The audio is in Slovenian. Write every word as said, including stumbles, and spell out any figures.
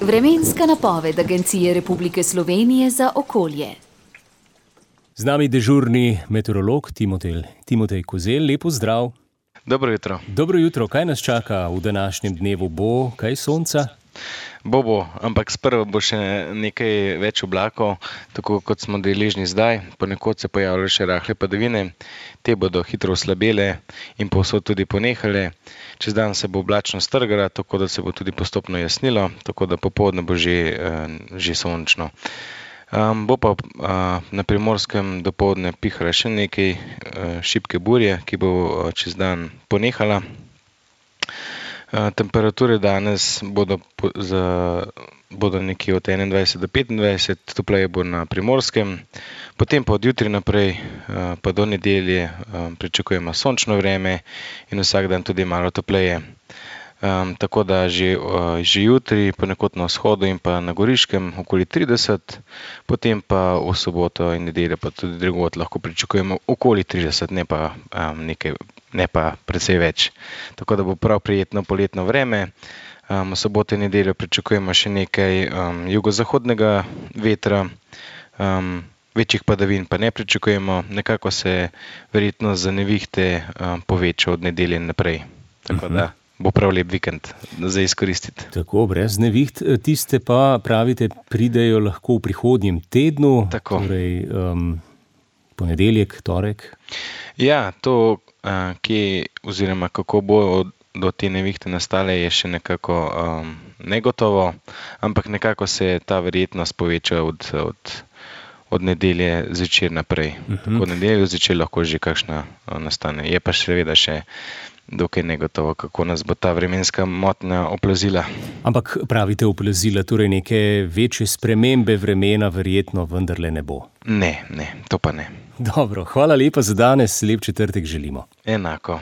Vremenska napoved Agencije Republike Slovenije za okolje. Z nami dežurni meteorolog Timotej, Timotej Kozelj, lep pozdrav. Dobro jutro. Dobro jutro, kaj nas čaka v današnjem dnevu? Bo kaj sonca? Bo, bo, ampak sprva bo še nekaj več oblakov, tako kot smo deležni zdaj. Ponekod se pojavljajo še rahle padavine, te bodo hitro oslabele in povsod tudi ponehale. Čez dan se bo oblačno strgala, tako da se bo tudi postopno jasnilo, tako da popoldne bo že, že sončno. Um, bo pa uh, na Primorskem dopoldne pihala še nekaj uh, šibke burje, ki bo uh, čez dan ponehala. Uh, temperature danes bodo, po, za, bodo nekje od enaindvajset do petindvajset, topleje bo na Primorskem. Potem pa od jutri naprej uh, pa do nedelje uh, pričakujemo sončno vreme in vsak dan tudi malo topleje. Um, tako da že, uh, že jutri ponekod na vzhodu in pa na Goriškem okoli trideset, potem pa v soboto in nedeljo pa tudi drugod lahko pričakujemo okoli trideset, ne pa, um, nekaj, ne pa precej več. Tako da bo prav prijetno poletno vreme. Um, v soboto in nedeljo pričakujemo še nekaj um, jugozahodnega vetra, um, večjih padavin pa ne pričakujemo, nekako se verjetno za nevihte um, poveča od nedelje naprej. Tako uh-huh. da bo prav lep vikend za izkoristiti. Tako, brez neviht. Tiste pa, pravite, pridejo lahko v prihodnjem tednu, Tako. torej um, ponedeljek, torek. Ja, to, uh, kje oziroma kako bo do te nevihte nastale, je še nekako um, negotovo, ampak nekako se ta verjetnost poveča od, od, od nedelje zvečer naprej. Uh-huh. Tako od nedelje zvečer lahko že kakšna uh, nastane. Je pa seveda še dokaj negotovo, kako nas bo ta vremenska motnja oplazila. Ampak pravite oplazila, torej neke večje spremembe vremena verjetno vendarle ne bo. Ne, ne, to pa ne. Dobro, hvala lepa za danes, lep četrtek želimo. Enako.